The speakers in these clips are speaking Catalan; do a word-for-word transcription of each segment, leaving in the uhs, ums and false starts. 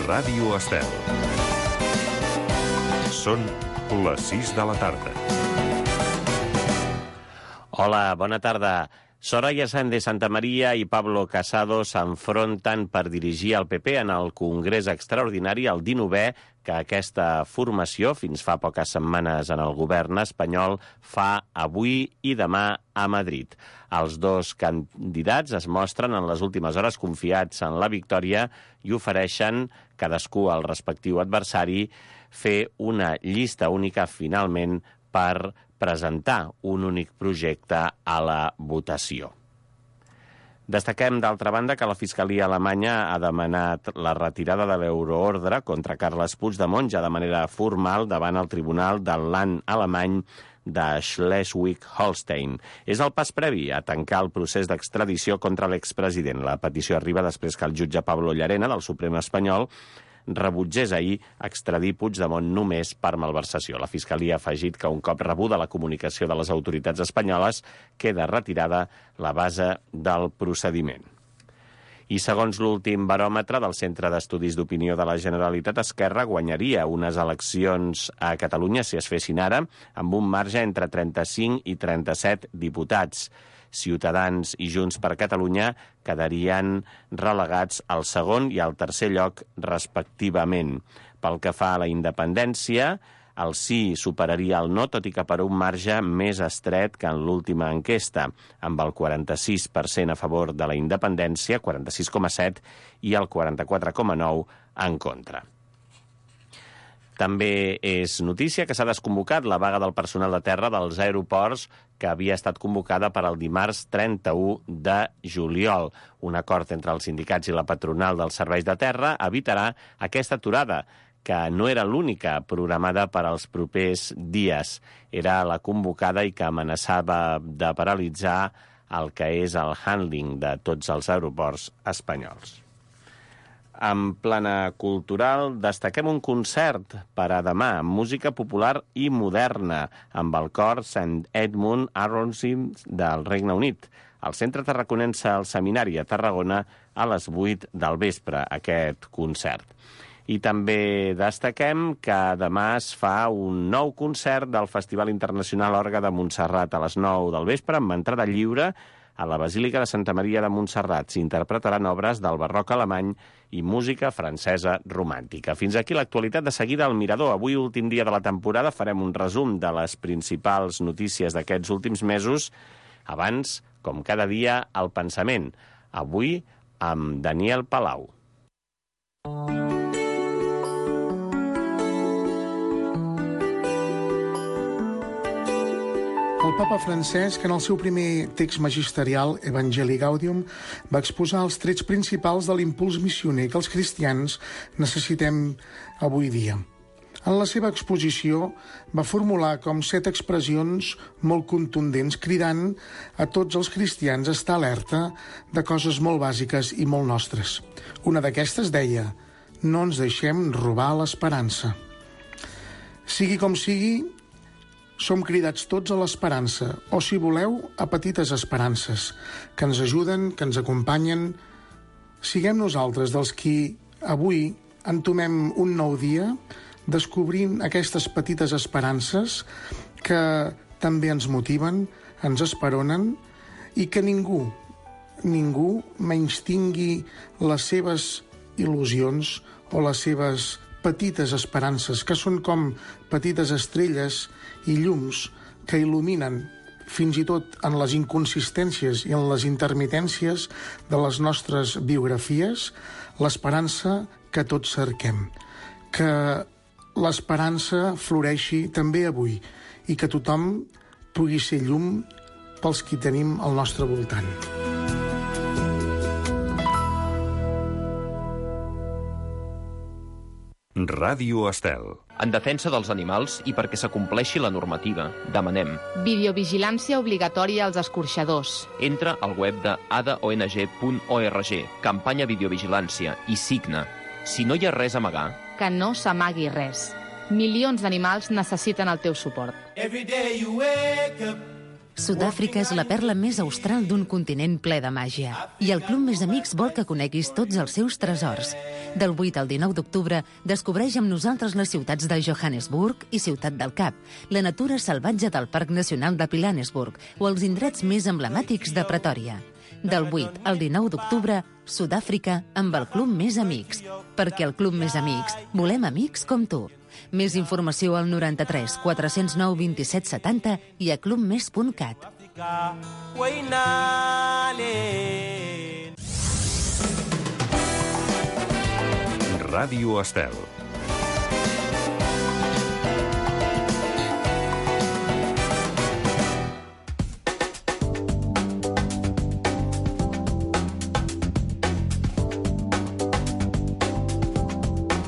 Ràdio Estel. Són les sis de la tarda. Hola, bona tarda. Soraya Sáenz de Santamaría i Pablo Casado s'enfronten per dirigir el P P en el Congrés Extraordinari, el dinovè que aquesta formació, fins fa poques setmanes en el govern espanyol, fa avui i demà a Madrid. Els dos candidats es mostren en les últimes hores confiats en la victòria i ofereixen, cadascú al respectiu adversari, fer una llista única finalment per presentar un únic projecte a la votació. Destaquem, d'altra banda, que la Fiscalia alemanya ha demanat la retirada de l'euroordre contra Carles Puigdemont ja de manera formal davant el Tribunal del Land alemany de Schleswig-Holstein. És el pas previ a tancar el procés d'extradició contra l'expresident. La petició arriba després que el jutge Pablo Llarena, del Suprem espanyol, rebutgés ahir extradir Puigdemont només per malversació. La Fiscalia ha afegit que un cop rebuda la comunicació de les autoritats espanyoles queda retirada la base del procediment. I segons l'últim baròmetre del Centre d'Estudis d'Opinió de la Generalitat, Esquerra guanyaria unes eleccions a Catalunya si es fessin ara, amb un marge entre trenta-cinc i trenta-set diputats. Ciutadans i Junts per Catalunya quedarien relegats al segon i al tercer lloc, respectivament. Pel que fa a la independència, el sí superaria el no, tot i que per un marge més estret que en l'última enquesta, amb el quaranta-sis per cent a favor de la independència, quaranta-sis coma set, i el quaranta-quatre coma nou en contra. També és notícia que s'ha desconvocat la vaga del personal de terra dels aeroports que havia estat convocada per al dimarts trenta-u de juliol. Un acord entre els sindicats i la patronal dels serveis de terra evitarà aquesta aturada, que no era l'única programada per als propers dies. Era la convocada i que amenaçava de paralitzar el que és el handling de tots els aeroports espanyols. En plana cultural, destaquem un concert per a demà, música popular i moderna, amb el cor Saint Edmund Aronsim del Regne Unit. El Centre Tarraconense al Seminari a Tarragona a les vuit del vespre, aquest concert. I també destaquem que demà es fa un nou concert del Festival Internacional Orgue de Montserrat a les nou del vespre, amb entrada lliure, a la Basílica de Santa Maria de Montserrat. S'interpretaran obres del barroc alemany i música francesa romàntica. Fins aquí l'actualitat. De seguida al Mirador. Avui, últim dia de la temporada, farem un resum de les principals notícies d'aquests últims mesos. Abans, com cada dia, el pensament. Avui, amb Daniel Palau. El papa Francesc, en el seu primer text magisterial, Evangelii Gaudium, va exposar els trets principals de l'impuls missioner que els cristians necessitem avui dia. En la seva exposició va formular com set expressions molt contundents, cridant a tots els cristians a estar alerta de coses molt bàsiques i molt nostres. Una d'aquestes deia: no ens deixem robar l'esperança. Sigui com sigui, som cridats tots a l'esperança, o, si voleu, a petites esperances, que ens ajuden, que ens acompanyen. Siguem nosaltres dels qui avui entomem un nou dia descobrint aquestes petites esperances que també ens motiven, ens esperonen, i que ningú, ningú menystingui les seves il·lusions o les seves petites esperances, que són com petites estrelles i llums que il·luminen fins i tot en les inconsistències i en les intermitències de les nostres biografies, l'esperança que tots cerquem. Que l'esperança floreixi també avui i que tothom pugui ser llum pels qui tenim al nostre voltant. Ràdio Estel. En defensa dels animals i perquè s'acompleixi la normativa, demanem videovigilància obligatòria als escorxadors. Entra al web de a d o n g punt org, campanya videovigilància, i signa. Si no hi ha res a amagar, que no s'amagui res. Milions d'animals necessiten el teu suport. Every day you wake up, Sud-àfrica és la perla més austral d'un continent ple de màgia. I el Club Més Amics vol que coneguis tots els seus tresors. Del vuit al dinou d'octubre, descobreix amb nosaltres les ciutats de Johannesburg i Ciutat del Cap, la natura salvatge del Parc Nacional de Pilanesburg o els indrets més emblemàtics de Pretòria. Del vuit al dinou d'octubre, Sud-àfrica amb el Club Més Amics. Perquè el Club Més Amics volem amics com tu. Més informació al noranta-tres quatre-cents nou vint-i-set setanta i a clubmes punt cat. Ràdio Estel.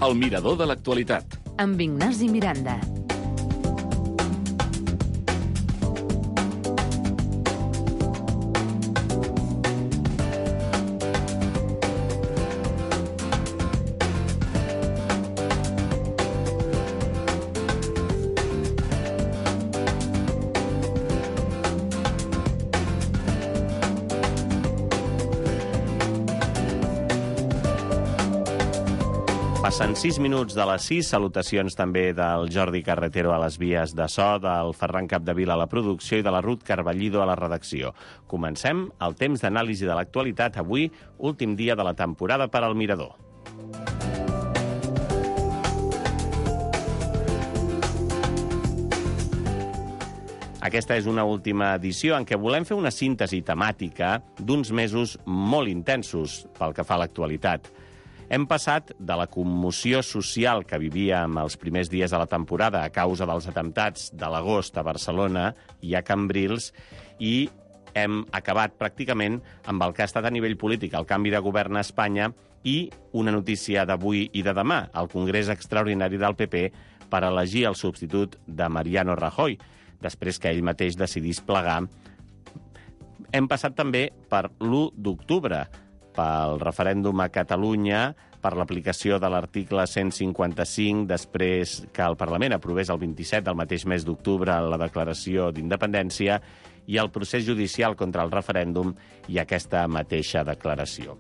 El mirador de l'actualitat. Amb Ignasi Miranda. Passen sis minuts de les sis, salutacions també del Jordi Carretero a les vies de so, del Ferran Capdevila a la producció i de la Ruth Carballido a la redacció. Comencem el temps d'anàlisi de l'actualitat, avui, últim dia de la temporada per al Mirador. Aquesta és una última edició en què volem fer una síntesi temàtica d'uns mesos molt intensos pel que fa a l'actualitat. Hem passat de la commoció social que vivíem els primers dies de la temporada a causa dels atemptats de l'agost a Barcelona i a Cambrils i hem acabat pràcticament amb el que ha estat a nivell polític el canvi de govern a Espanya i una notícia d'avui i de demà, el Congrés Extraordinari del P P per elegir el substitut de Mariano Rajoy, després que ell mateix decidís plegar. Hem passat també per l'u d'octubre, pel referèndum a Catalunya, per l'aplicació de l'article cent cinquanta-cinc, després que el Parlament aprovés el vint-i-set del mateix mes d'octubre la declaració d'independència i el procés judicial contra el referèndum i aquesta mateixa declaració.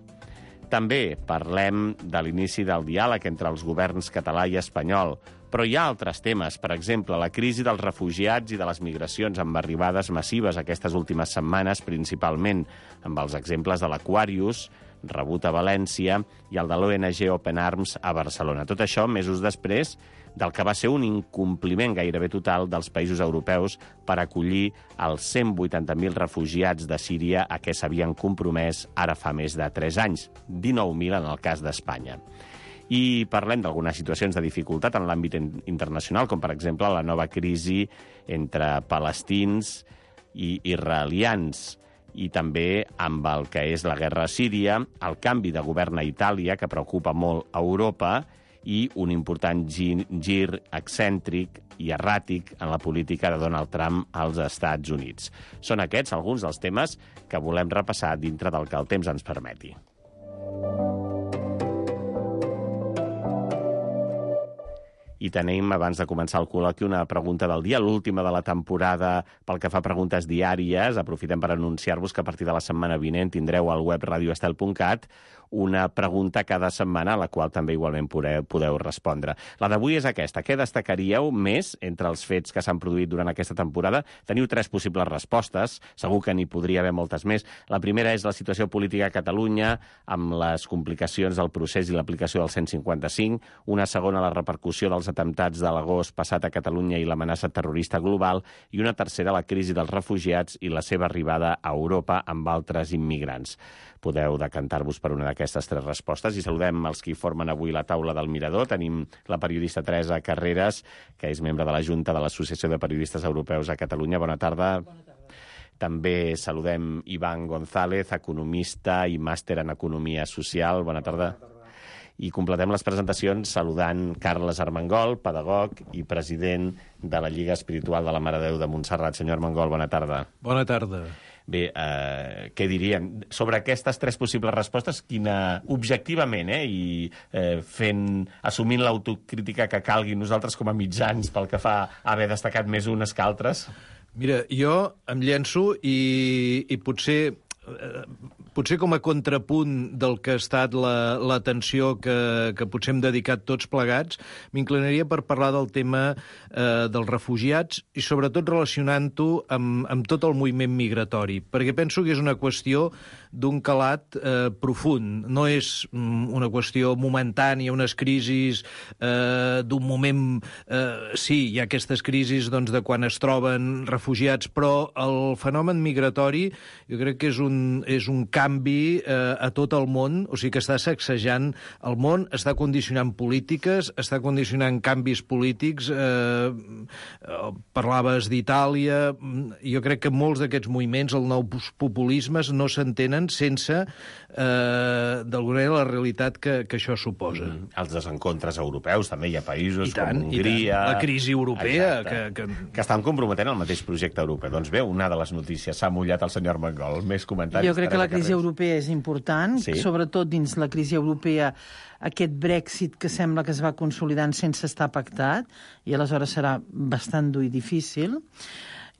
També parlem de l'inici del diàleg entre els governs català i espanyol, però hi ha altres temes, per exemple, la crisi dels refugiats i de les migracions amb arribades massives aquestes últimes setmanes, principalment amb els exemples de l'Aquarius, rebut a València, i el de l'O N G Open Arms a Barcelona. Tot això mesos després del que va ser un incompliment gairebé total dels països europeus per acollir els cent vuitanta mil refugiats de Síria a què s'havien compromès ara fa més de tres anys, dinou mil en el cas d'Espanya. I parlem d'algunes situacions de dificultat en l'àmbit internacional, com per exemple la nova crisi entre palestins i israelians, i també amb el que és la guerra a Síria, el canvi de govern a Itàlia, que preocupa molt a Europa, i un important gir, gir excèntric i erràtic en la política de Donald Trump als Estats Units. Són aquests alguns dels temes que volem repassar dintre del que el temps ens permeti. I tenim, abans de començar el col·loqui, una pregunta del dia, l'última de la temporada pel que fa a preguntes diàries. Aprofitem per anunciar-vos que a partir de la setmana vinent tindreu al web radio estel punt cat una pregunta cada setmana, a la qual també igualment podeu, podeu respondre. La d'avui és aquesta. Què destacaríeu més entre els fets que s'han produït durant aquesta temporada? Teniu tres possibles respostes, segur que n'hi podria haver moltes més. La primera és la situació política a Catalunya, amb les complicacions del procés i l'aplicació del cent cinquanta-cinc. Una segona, la repercussió dels atemptats de l'agost passat a Catalunya i l'amenaça terrorista global. I una tercera, la crisi dels refugiats i la seva arribada a Europa amb altres immigrants. Podeu decantar-vos per una d'aquestes tres respostes i saludem els que formen avui la taula del Mirador. Tenim la periodista Teresa Carreras, que és membre de la Junta de l'Associació de Periodistes Europeus a Catalunya. Bona tarda. Bona tarda. També saludem Ivan González, economista i màster en Economia Social. Bona tarda. Bona tarda. I completem les presentacions saludant Carles Armengol, pedagog i president de la Lliga Espiritual de la Mare de Déu de Montserrat. Senyor Armengol, bona tarda. Bona tarda. Bé, eh, què diríem? Sobre aquestes tres possibles respostes, quina, objectivament, eh, i eh, fent, assumint l'autocrítica que calgui nosaltres com a mitjans pel que fa a haver destacat més unes que altres? Mira, jo em llenço i, i potser... Eh, potser com a contrapunt del que ha estat l'atenció la, que, que potser hem dedicat tots plegats, m'inclinaria per parlar del tema eh, dels refugiats i sobretot relacionant-ho amb, amb tot el moviment migratori, perquè penso que és una qüestió d'un calat eh, profund. No és mm, una qüestió momentània, unes crisis eh, d'un moment... Eh, sí, hi ha aquestes crisis doncs, de quan es troben refugiats, però el fenomen migratori jo crec que és un, és un canvi eh, a tot el món, o sigui que està sacsejant el món, està condicionant polítiques, està condicionant canvis polítics, eh, parlaves d'Itàlia, jo crec que molts d'aquests moviments, el nou populismes, no s'entenen sense, eh, d'alguna manera, la realitat que, que això suposa. Mm. Els desencontres europeus, també hi ha països tant, com Hongria... La crisi europea... Que, que... que estan comprometent el mateix projecte europeu. Doncs bé, una de les notícies s'ha mullat el senyor Armengol. Més comentaris. Jo crec que la crisi europea és important, sí. Sobretot dins la crisi europea, aquest Brexit que sembla que es va consolidant sense estar pactat, i aleshores serà bastant dur i difícil.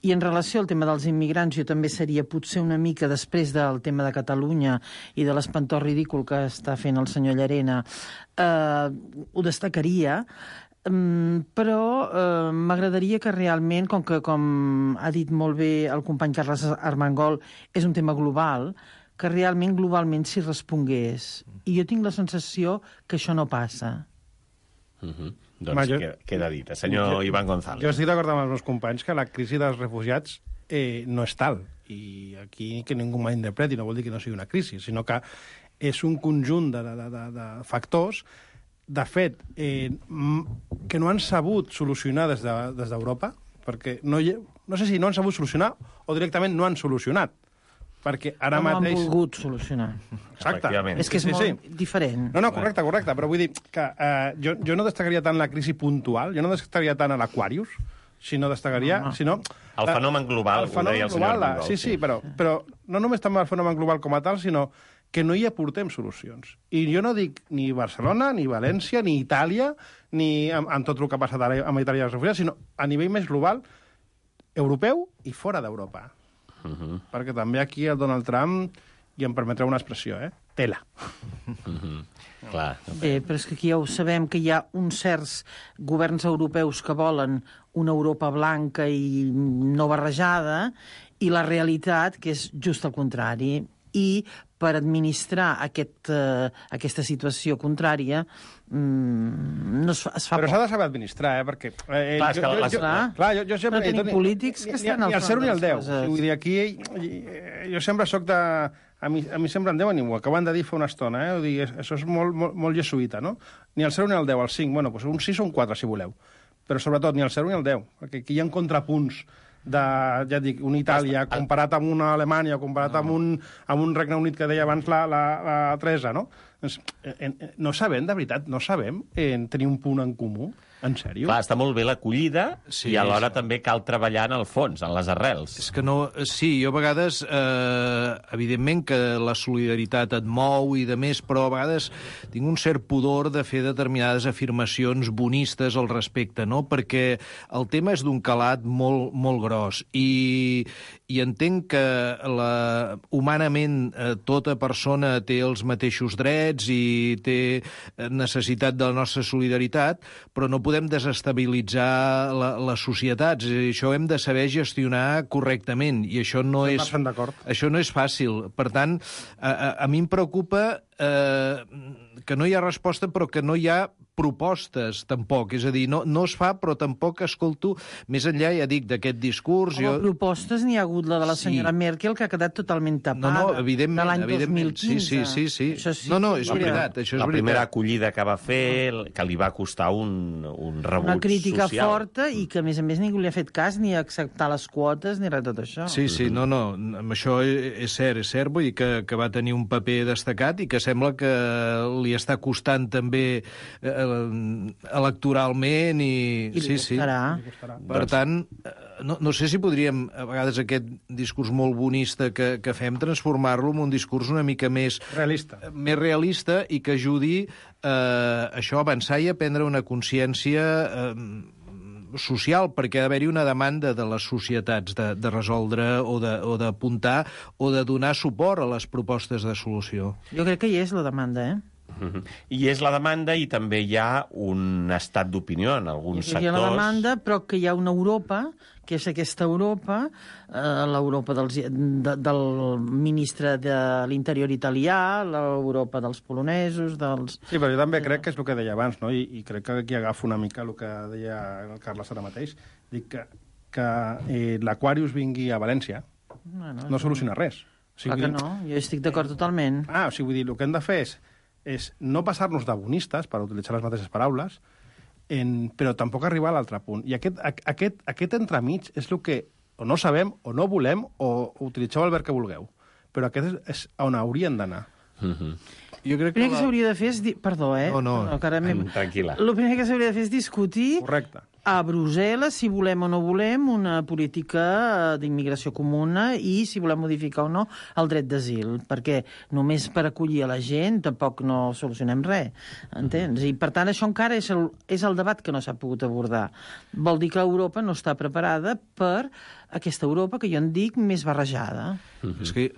I en relació al tema dels immigrants, jo també seria potser una mica després del tema de Catalunya i de l'espantós ridícul que està fent el senyor Llarena, eh, ho destacaria, um, però eh, m'agradaria que realment, com que com ha dit molt bé el company Carles Armengol, és un tema global, que realment globalment s'hi respongués. I jo tinc la sensació que això no passa. Uh-huh. Doncs jo, queda dit. Senyor jo, Ivan González. Jo estic d'acord amb els meus companys que la crisi dels refugiats eh, no és tal. I aquí que ningú malinterpreti, no vol dir que no sigui una crisi, sinó que és un conjunt de, de, de, de factors, de fet, eh, que no han sabut solucionar des d'Europa, de, perquè no, hi, no sé si no han sabut solucionar o directament no han solucionat. Perquè ara no mateix... No han volgut solucionar. Exacte. És que és sí, molt sí. diferent. No, no, correcte, correcte, però vull dir que eh, jo, jo no destacaria tant la crisi puntual, jo no destacaria tant a l'Aquarius, sinó destacaria... No, no. Sinó, el fenomen global, el fenomen ho deia el global, senyor Armengol. Sí, sí, però, però no només també el fenomen global com a tal, sinó que no hi aportem solucions. I jo no dic ni Barcelona, ni València, ni Itàlia, ni amb, amb tot el que ha passat ara amb Itàlia i els refugiats, sinó a nivell més global, europeu i fora d'Europa. Uh-huh. Perquè també aquí el Donald Trump, i em permetreu una expressió, eh? Tela. Uh-huh. Clar. Bé, però és que aquí ja ho sabem, que hi ha uns certs governs europeus que volen una Europa blanca i no barrejada, i la realitat, que és just el contrari. I per administrar aquest, uh, aquesta situació contrària mm, no es fa, es fa però poc. s'ha de saber administrar, eh? Perquè... Eh, clar, jo, jo, jo, clar, clar, jo, jo sempre... no tenim ni, polítics que estan al front de les coses. Ni el zero ni el deu. Vull dir, aquí jo sempre soc de... A mi, a mi sempre em deuen, i ho acaben de dir fa una estona, eh? Vull dir, això és molt, molt, molt jesuïta, no? Ni el zero ni el deu, el cinc. Bueno, doncs un sis o un quatre, si voleu. Però sobretot ni el zero ni el deu, perquè aquí hi ha contrapunts de, ja dic, una Itàlia comparat amb una Alemanya, comparat no. amb, un, amb un Regne Unit que deia abans la, la, la Teresa, no? Doncs, eh, eh, no sabem, de veritat, no sabem eh, tenir un punt en comú. En sèrio? Clar, està molt bé l'acollida sí, i alhora sí. també cal treballar en el fons, en les arrels. És que no... Sí, jo a vegades, eh, evidentment que la solidaritat et mou i de més, però a vegades tinc un cert pudor de fer determinades afirmacions bonistes al respecte, no? Perquè el tema és d'un calat molt, molt gros i, i entenc que la, humanament eh, tota persona té els mateixos drets i té necessitat de la nostra solidaritat, però no podem desestabilitzar la, les societats. Això hem de saber gestionar correctament i això no, és, això no és fàcil. Per tant, a, a, a mi em preocupa eh, que no hi ha resposta però que no hi ha propostes, tampoc. És a dir, no, no es fa, però tampoc escolto, més enllà, ja dic, d'aquest discurs... Home, jo... propostes n'hi ha hagut la de la senyora sí. Merkel, que ha quedat totalment tapada. No, no, evidentment. De l'any dos mil quinze. Sí, sí, sí. sí. sí no, no, és veritat. Això és la veritat. primera acollida que va fer, que li va costar un, un rebuig social. Una crítica social. forta i que, a més a més, ningú li ha fet cas ni a acceptar les quotes ni res de tot això. Sí, sí, no, no, amb això és cert, és cert, vull dir que, que va tenir un paper destacat i que sembla que li està costant també eh, electoralment i... I sí, sí. Per tant, no, no sé si podríem, a vegades, aquest discurs molt bonista que, que fem, transformar-lo en un discurs una mica més... Realista. Més realista i que ajudi eh, això a avançar i a prendre una consciència... Eh, social, perquè ha d'haver-hi una demanda de les societats de, de resoldre o d'apuntar o de donar suport a les propostes de solució. Jo crec que hi és la demanda, eh? Uh-huh. I és la demanda i també hi ha un estat d'opinió en alguns sectors. Hi ha la demanda, però que hi ha una Europa, que és aquesta Europa, eh, l'Europa dels, de, del ministre de l'Interior italià, l'Europa dels polonesos, dels... Sí, però jo també crec que és el que deia abans, no? I, i crec que aquí agafo una mica el que deia el Carles ara mateix. Dic que, que eh, l'Aquarius vingui a València bueno, no soluciona res. O sigui, clar que no, jo estic d'acord totalment. Ah, o sigui, vull dir, el que hem de fer és és no passar-nos de bonistes, per utilitzar les mateixes paraules, en, però tampoc arribar a l'altre punt. I aquest, aquest, aquest entremig és el que o no sabem, o no volem, o, o utilitzeu el verb que vulgueu. Però aquest és, és on haurien d'anar. Mm-hmm. Jo crec que el primer que s'hauria de fer és... Di... Perdó, eh? No, no. no que mi... Tranquil·la. El primer que s'hauria de fer és discutir... Correcte. A Brussel·les, si volem o no volem, una política d'immigració comuna i si volem modificar o no el dret d'asil, perquè només per acollir a la gent tampoc no solucionem res, entens? I, per tant, això encara és el, és el debat que no s'ha pogut abordar. Vol dir que Europa no està preparada per aquesta Europa que jo en dic més barrejada. Mm-hmm. És que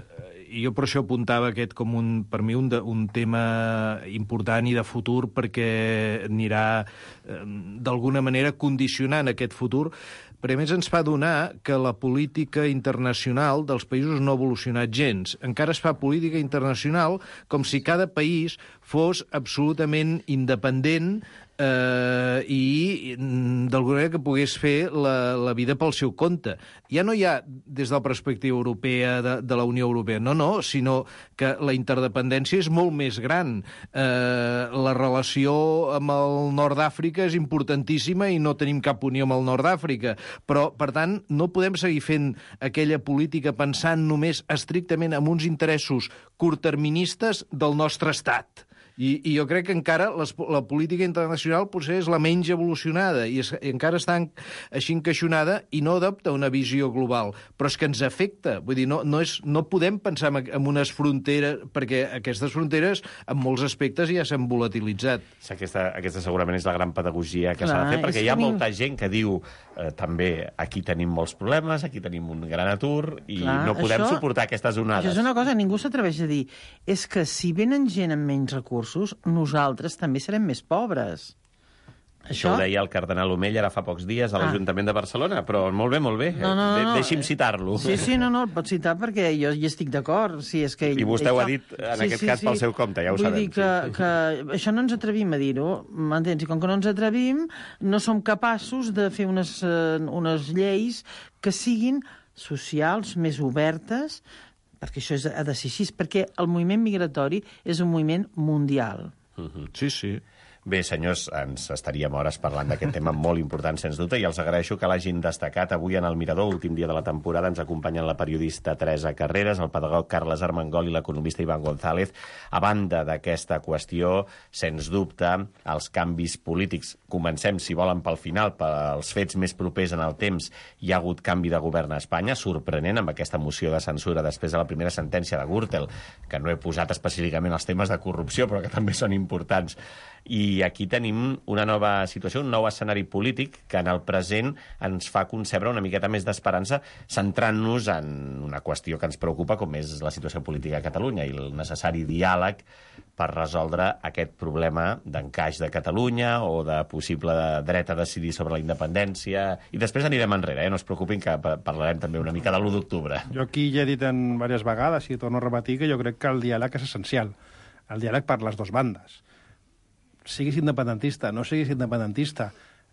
jo per això apuntava aquest com un, per mi un, de, un tema important i de futur, perquè anirà eh, d'alguna manera condicionant aquest futur, però a més ens fa donar que la política internacional dels països no ha evolucionat gens. Encara es fa política internacional com si cada país fos absolutament independent eh, i d'alguna manera que pogués fer la, la vida pel seu compte. Ja no hi ha, des de la perspectiva europea, de, de la Unió Europea, no, no, sinó que la interdependència és molt més gran. Eh, la relació amb el nord d'Àfrica és importantíssima i no tenim cap unió amb el nord d'Àfrica, però, per tant, no podem seguir fent aquella política pensant només estrictament en uns interessos curtterministes del nostre estat. I, i jo crec que encara les, la política internacional potser és la menys evolucionada i, es, i encara està en, així encaixonada i no adopta una visió global. Però és que ens afecta. Vull dir, no, no, és, no podem pensar en, en unes fronteres, perquè aquestes fronteres en molts aspectes ja s'han volatilitzat. Aquesta, aquesta segurament és la gran pedagogia que s'ha de fer, perquè hi ha molta gent que diu eh, també aquí tenim molts problemes, aquí tenim un gran atur i Clar, no podem això, suportar aquestes onades. Això és una cosa, ningú s'atreveix a dir. És que si venen gent amb menys recursos, nosaltres també serem més pobres. Això, Això ho deia el cardenal Omell ara fa pocs dies a l'Ajuntament ah. de Barcelona, però molt bé, molt bé. No, no, no, De no. Deixi'm citar-lo. Sí, sí, no, no, el pot citar perquè jo hi estic d'acord. Sí, és que ell, I vostè ell ho fa... ha dit, en sí, aquest sí, cas, sí. pel seu compte, ja ho Vull sabem. Vull dir que, sí. que això no ens atrevim a dir-ho, m'entens? I com que no ens atrevim, no som capaços de fer unes, uh, unes lleis que siguin socials, més obertes, perquè això és, ha de ser així, perquè el moviment migratori és un moviment mundial. Uh-huh. Sí, sí. Bé, senyors, ens estaríem hores parlant d'aquest tema molt important, sens dubte, i els agraeixo que l'hagin destacat avui en el Mirador, últim dia de la temporada. Ens acompanyen la periodista Teresa Carreras, el pedagog Carles Armengol i l'economista Iván González. A banda d'aquesta qüestió, sens dubte, els canvis polítics. Comencem, si volen, pel final, pels fets més propers en el temps. Hi ha hagut canvi de govern a Espanya, sorprenent, amb aquesta moció de censura després de la primera sentència de Gürtel, que no he posat específicament els temes de corrupció, però que també són importants. I aquí tenim una nova situació, un nou escenari polític que en el present ens fa concebre una miqueta més d'esperança, centrant-nos en una qüestió que ens preocupa, com és la situació política a Catalunya i el necessari diàleg per resoldre aquest problema d'encaix de Catalunya o de possible dret a decidir sobre la independència. I després anirem enrere, eh? No es preocupin, que parlarem també una mica de l'u d'octubre. Jo aquí ja he dit en diverses vegades, i torno a repetir, que jo crec que el diàleg és essencial. El diàleg per les dues bandes. Siguis independentista, no siguis independentista,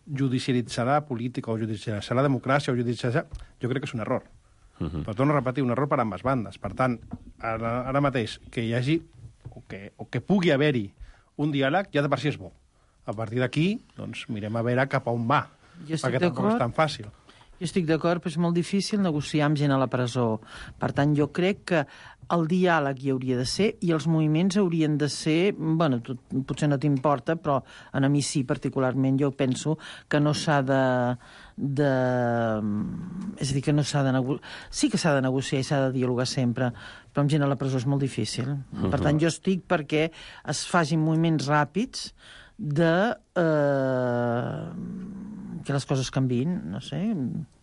judicialitzar la política o judicialitzar la democràcia o judicialitzar... Jo crec que és un error. Uh-huh. Però torno a repetir, un error per ambes bandes. Per tant, ara, ara mateix, que hi hagi o que, o que pugui haver-hi un diàleg, ja de per si és bo. A partir d'aquí, doncs, mirem a veure cap a on va, perquè tampoc és tan fàcil. Jo estic d'acord, però és molt difícil negociar amb gent a la presó. Per tant, jo crec que el diàleg hi hauria de ser i els moviments haurien de ser... Bueno, tu, potser no t'importa, però a mi sí, particularment. Jo penso que no s'ha de... de... És a dir, que no s'ha de negociar... Sí que s'ha de negociar i s'ha de dialogar sempre, però amb gent a la presó és molt difícil. Per tant, jo estic perquè es facin moviments ràpids de... Eh... que les coses canviïn, no sé...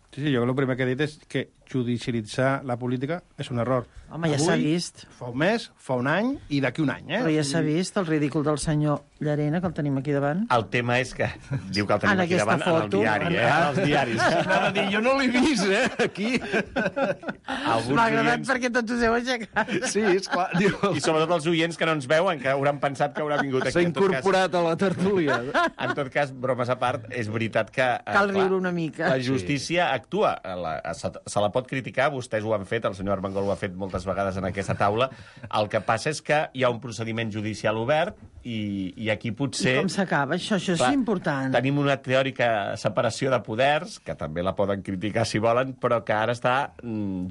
Sí, sí, jo el primer que he dit és que judicialitzar la política és un error. Home, ja s'ha vist. Fa un mes, fa un any i d'aquí un any, eh? Però ja s'ha vist el ridícul del senyor Llarena, que el tenim aquí davant. El tema és que diu que el tenim en aquí davant foto, en el diari, eh? En els diaris. Anava a dir, jo no l'he vist, eh, aquí. M'ha agradat perquè tots us heu aixecat. Sí, esclar. Diu... I sobretot els oients que no ens veuen, que hauran pensat que haurà vingut aquí. S'ha incorporat a la tertúlia. En tot cas, bromes a part, és veritat que... Cal riure una mica. La justícia actua. La, se, se la pot criticar, vostès ho han fet, el senyor Armengol ho ha fet moltes vegades en aquesta taula. El que passa és que hi ha un procediment judicial obert i, i aquí potser... I com s'acaba això? Això Clar, és important. Tenim una teòrica separació de poders, que també la poden criticar si volen, però que ara està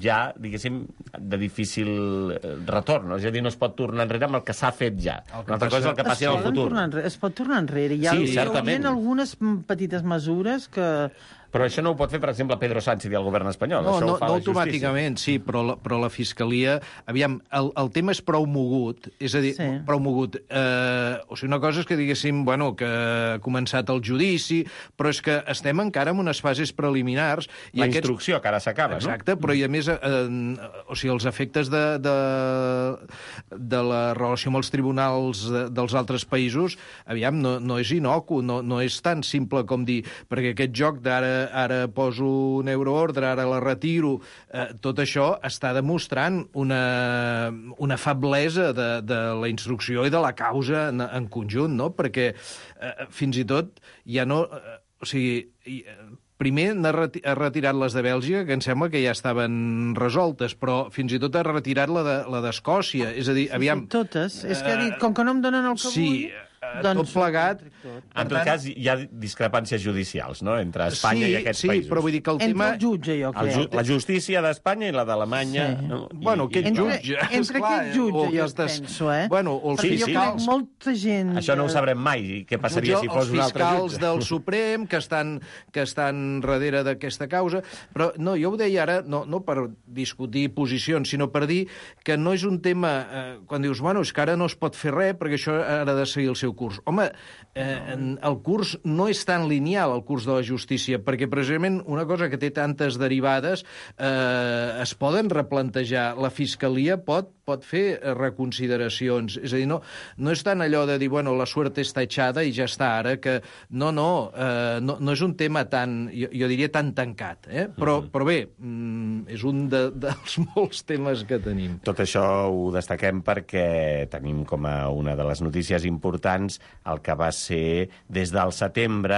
ja, diguéssim, de difícil retorn. És a dir, no es pot tornar enrere amb el que s'ha fet ja. Una altra cosa és el que passi en el futur. Enrere, es pot tornar enrere. Hi ha, sí, certament. Hi ha algunes petites mesures que... Però això no ho pot fer, per exemple, Pedro Sánchez i el govern espanyol. No, això no, ho fa no la automàticament, sí, però la, però la Fiscalia... Aviam, el, el tema és prou mogut, és a dir, sí. prou mogut. Eh, o sigui, una cosa és que diguéssim, bueno, que ha començat el judici, però és que estem encara en unes fases preliminars. I la aquests... instrucció, que ara s'acaba, no? Exacte, però i a més, eh, o sigui, els efectes de, de, de la relació amb els tribunals de, dels altres països, aviam, no, no és inocu, no, no és tan simple com dir, perquè aquest joc d'ara ara poso un euroordre, ara la retiro, eh, tot això està demostrant una, una feblesa de, de la instrucció i de la causa en, en conjunt, no? Perquè eh, fins i tot ja no... Eh, o sigui... Eh, Primer ha retirat les de Bèlgica, que em sembla que ja estaven resoltes, però fins i tot ha retirat la de, la d'Escòcia. És a dir, aviam... Sí, totes. És que ha dit, com que no em donen el que sí, vull... Doncs, tot plegat... En tot cas, hi ha discrepàncies judicials, no?, entre Espanya sí, i aquests sí, països. Sí, però vull dir que el entre tema... el jutge, jo crec. Ju la justícia d'Espanya i la d'Alemanya... Sí. No? I, bueno, aquest entre, jutge... Entre esclar, aquest jutge, jo aquestes... penso, eh? Bueno, el Perquè sí, jo sí. crec molta gent... Això no ho sabrem mai, què passaria si fos un altre jutge. Els fiscals del Suprem, que estan, que estan darrere d'aquesta causa, però no, jo ho deia ara, no, no per discutir posicions, sinó per dir que no és un tema... Eh, quan dius, bueno, és que ara no es pot fer res perquè això ha de seguir el seu curs. Home, eh, el curs no és tan lineal, el curs de la justícia, perquè precisament una cosa que té tantes derivades eh, es poden replantejar. La Fiscalia pot, pot fer reconsideracions. És a dir, no, no és tant allò de dir, bueno, la suerte està echada i ja està, ara que... No, no, eh, no, no és un tema tan, jo, jo diria tan tancat, eh? Però, uh-huh. però bé, mm, és un de, dels molts temes que tenim. Tot això ho destaquem perquè tenim com a una de les notícies importants el que va ser des del setembre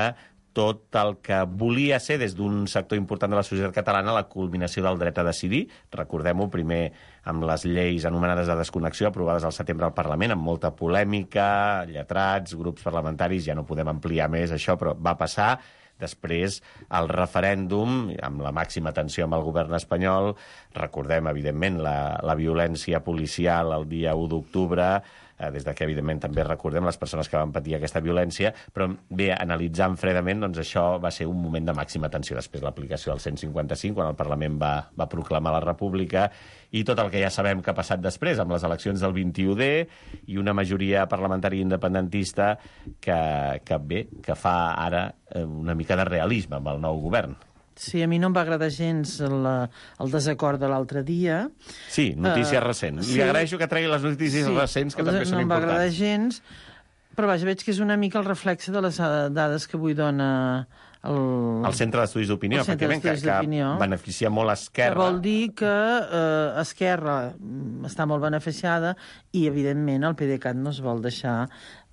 tot el que volia ser des d'un sector important de la societat catalana la culminació del dret a decidir. Recordem-ho, primer amb les lleis anomenades de desconnexió aprovades al setembre al Parlament, amb molta polèmica, lletrats, grups parlamentaris, ja no podem ampliar més això, però va passar. Després, el referèndum, amb la màxima tensió amb el govern espanyol, recordem, evidentment, la, la violència policial el dia u d'octubre, eh, des de que, evidentment, també recordem les persones que van patir aquesta violència, però bé, analitzant fredament, doncs això va ser un moment de màxima tensió. Després l'aplicació del cent cinquanta cinc, quan el Parlament va, va proclamar la República, i tot el que ja sabem que ha passat després, amb les eleccions del vint-i-u de i una majoria parlamentària independentista que, que bé, que fa ara una mica de realisme amb el nou govern. Sí, a mi no em va agradar gens el, el desacord de l'altre dia. Sí, notícies uh, recents. Sí. Li agraeixo que tregui les notícies sí, recents, que també són no importants. No em va agradar gens, però vaja, veig que és una mica el reflexe de les dades que avui dona el... El Centre d'Estudis d'Opinió, efectivament, que, que beneficia molt Esquerra. Que vol dir que eh, Esquerra està molt beneficiada i, evidentment, el PDeCAT no es vol deixar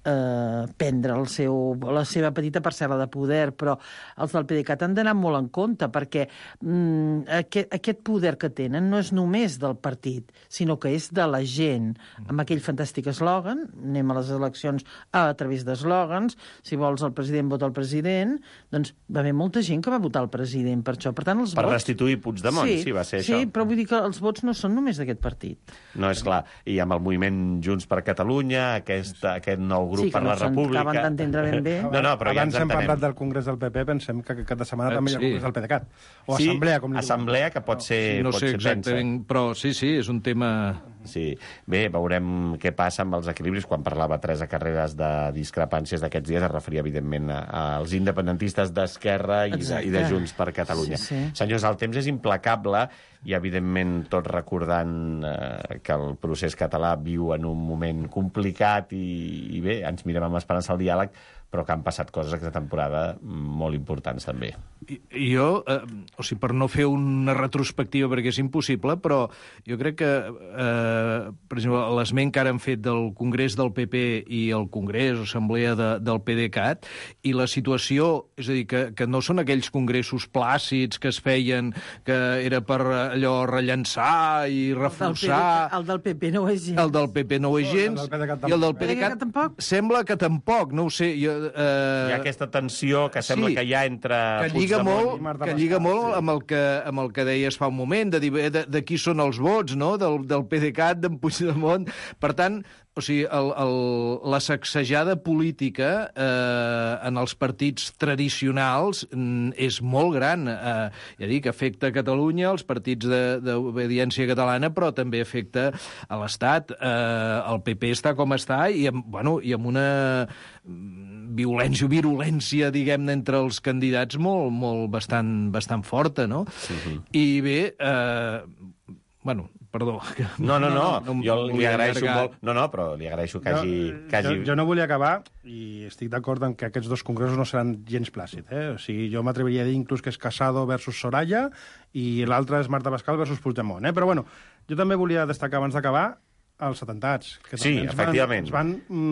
eh, prendre el seu, la seva petita parcel·la de poder, però els del PDeCAT han d'anar molt en compte, perquè mm, aquest, aquest poder que tenen no és només del partit, sinó que és de la gent, amb aquell fantàstic eslògan, anem a les eleccions a, a través d'eslògans, si vols el president vota el president, doncs va haver molta gent que va votar el president per això. Per tant, els per vots... restituir Puigdemont, sí, sí, va ser sí, això. Sí, però vull dir que els vots no són només d'aquest partit. No, és clar. I amb el moviment Junts per Catalunya, aquest, aquest nou grup sí, per no la República... acaben d'entendre ben bé. No, no, però abans ja ens hem entenem. parlat del Congrés del P P, pensem que aquest cap de setmana eh, també hi ha sí. Congrés del PDeCAT. O sí, assemblea, com li assemblea, que pot ser, no pot sé ser exactament, tensa. però sí, sí, és un tema... sí. Bé, veurem què passa amb els equilibris. Quan parlava Teresa Carreras de discrepàncies d'aquests dies, es referia, evidentment, als independentistes d'Esquerra i, de, i de Junts per Catalunya. Sí, sí. Senyors, el temps és implacable i, evidentment, tots recordant eh, que el procés català viu en un moment complicat i, i bé, ens mirem amb esperança al diàleg, però que han passat coses aquesta temporada molt importants, també. I, jo, eh, o sigui, per no fer una retrospectiva, perquè és impossible, però jo crec que, eh, per exemple, l'esment que ara han fet del Congrés del P P i el Congrés, Assemblea de, del PDeCAT, i la situació, és a dir, que, que no són aquells congressos plàcids que es feien, que era per allò rellençar i reforçar... El del P P no ho és gens. El del P P no ho és gens, i el del PDeCAT sembla que tampoc, no ho sé, jo, Eh... Hi ha aquesta tensió que sembla sí, que hi ha entre que lliga molt, que lliga molt amb, el que, amb el que deies fa un moment, de, de, de qui són els vots, no?, del, del PDeCAT, d'en Puigdemont. Per tant, o sigui, el, el, la sacsejada política eh, en els partits tradicionals mm, és molt gran. Eh, ja dic, afecta a Catalunya, els partits d'obediència catalana, però també afecta a l'Estat. Eh, el P P està com està i amb, bueno, i amb una violència o virulència, diguem-ne, entre els candidats molt, molt bastant, bastant forta, no? Uh-huh. I bé, eh, bueno, perdó. No, no, no, no jo li agraeixo molt... No, no, però li agraeixo que hagi... Que hagi... Jo, jo no volia acabar, i estic d'acord en que aquests dos congressos no seran gens plàcids. Eh? O sigui, jo m'atreviria a dir inclús que és Casado versus Soraya i l'altre és Marta Pascal versus Puigdemont. Eh? Però bueno, jo també volia destacar, abans d'acabar, els atemptats. Que sí, efectivament. Van, van,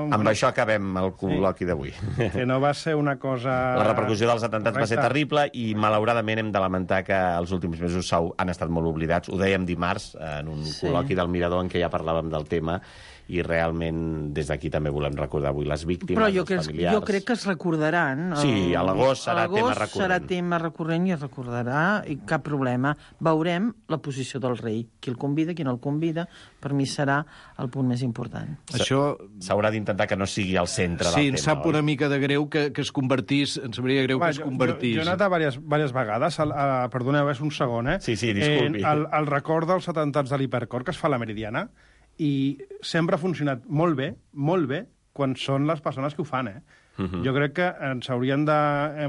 uh, Amb això acabem el col·loqui sí, d'avui. Que no va ser una cosa... La repercussió dels atemptats correcta. Va ser terrible i, malauradament, hem de lamentar que els últims mesos han estat molt oblidats. Ho dèiem dimarts, en un sí. col·loqui del Mirador en què ja parlàvem del tema, i realment des d'aquí també volem recordar avui les víctimes, Però jo els que, familiars. jo crec que es recordaran. El, sí, a l'agost serà tema recurrent. serà tema recurrent i es recordarà, i cap problema. Veurem la posició del rei. Qui el convida, qui no el convida, per mi serà el punt més important. Això s'haurà d'intentar que no sigui al centre sí, del tema. Sí, ens sap una mica de greu que, que es convertís, ens sabria greu Va, que es convertís. Jo, jo he anat a diverses, diverses vegades, a, a, perdoneu, és un segon, eh? Sí, sí, disculpi. Eh, el, el record dels atemptats de l'Hipercor que es fa a la Meridiana, i sempre ha funcionat molt bé, molt bé, quan són les persones que ho fan, eh? Uh-huh. Jo crec que ens haurien de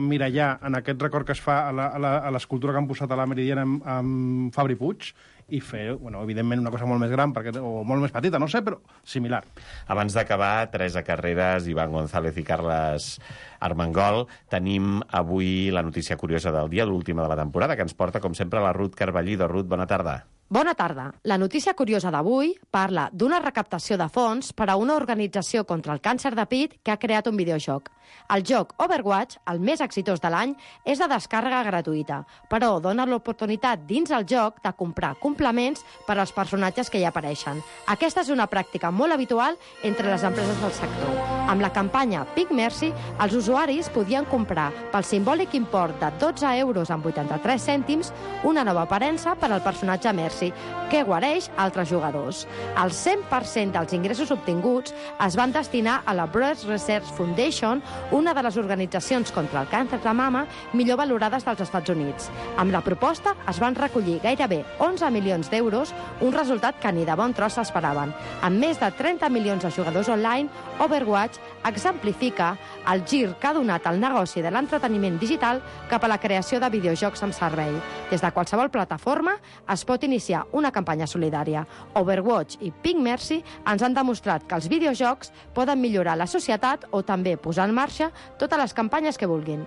mirallar en aquest record que es fa a l'escultura que han posat a la Meridiana amb, amb Fabri Puig i fer, bueno, evidentment, una cosa molt més gran perquè, o molt més petita, no sé, però similar. Abans d'acabar, Teresa Carreras, Iván González i Carles Armengol, tenim avui la notícia curiosa del dia, l'última de la temporada, que ens porta, com sempre, la Ruth Carballido. Ruth, bona tarda. Bona tarda. La notícia curiosa d'avui parla d'una recaptació de fons per a una organització contra el càncer de pit que ha creat un videojoc. El joc Overwatch, el més exitós de l'any, és de descàrrega gratuïta, però dona l'oportunitat dins el joc de comprar complements per als personatges que hi apareixen. Aquesta és una pràctica molt habitual entre les empreses del sector. Amb la campanya Big Mercy, els usuaris podien comprar pel simbòlic import de dotze euros amb vuitanta-tres cèntims una nova aparença per al personatge Mercy, que guareix altres jugadors. El cent per cent dels ingressos obtinguts es van destinar a la Breast Research Foundation, una de les organitzacions contra el càncer de mama millor valorades dels Estats Units. Amb la proposta es van recollir gairebé onze milions d'euros, un resultat que ni de bon tros s'esperaven. Amb més de trenta milions de jugadors online, Overwatch exemplifica el gir que ha donat el negoci de l'entreteniment digital cap a la creació de videojocs amb servei. Des de qualsevol plataforma es pot iniciar una campanya solidària. Overwatch i Big Mercy ens han demostrat que els videojocs poden millorar la societat o també posar en marxa totes les campanyes que vulguin.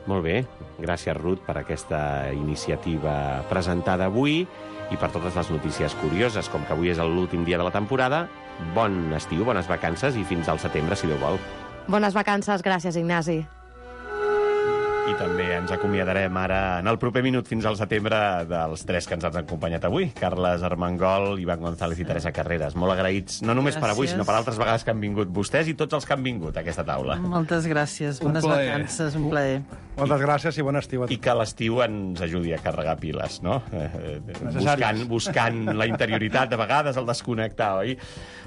Molt bé. Gràcies, Ruth, per aquesta iniciativa presentada avui i per totes les notícies curioses. Com que avui és l'últim dia de la temporada, bon estiu, bones vacances i fins al setembre, si Déu vol. Bones vacances. Gràcies, Ignasi. I també ens acomiadarem ara en el proper minut fins al setembre dels tres que ens han acompanyat avui. Carles Armengol, Iván González i Teresa Carreras. Molt agraïts, no només gràcies. Per avui, sinó per altres vegades que han vingut vostès i tots els que han vingut a aquesta taula. Moltes gràcies, bones vacances, un plaer. Moltes gràcies i bon estiu a tots. I que l'estiu ens ajudi a carregar piles, no? Eh, buscant, buscant la interioritat, de vegades el desconnectar, oi?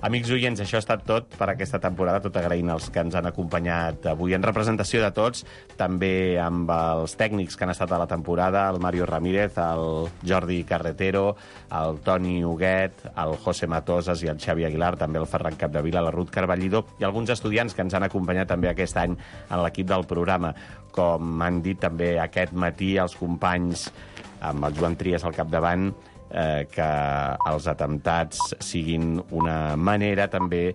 Amics oients, això ha estat tot per aquesta temporada, tot agraint els que ens han acompanyat avui en representació de tots, també amb amb els tècnics que han estat a la temporada, el Mario Ramírez, el Jordi Carretero, el Toni Huguet, el José Matosas i el Xavi Aguilar, també el Ferran Capdevila, la Ruth Carballido, i alguns estudiants que ens han acompanyat també aquest any en l'equip del programa. Com han dit també aquest matí els companys, amb el Joan Trias al capdavant, eh, que els atemptats siguin una manera també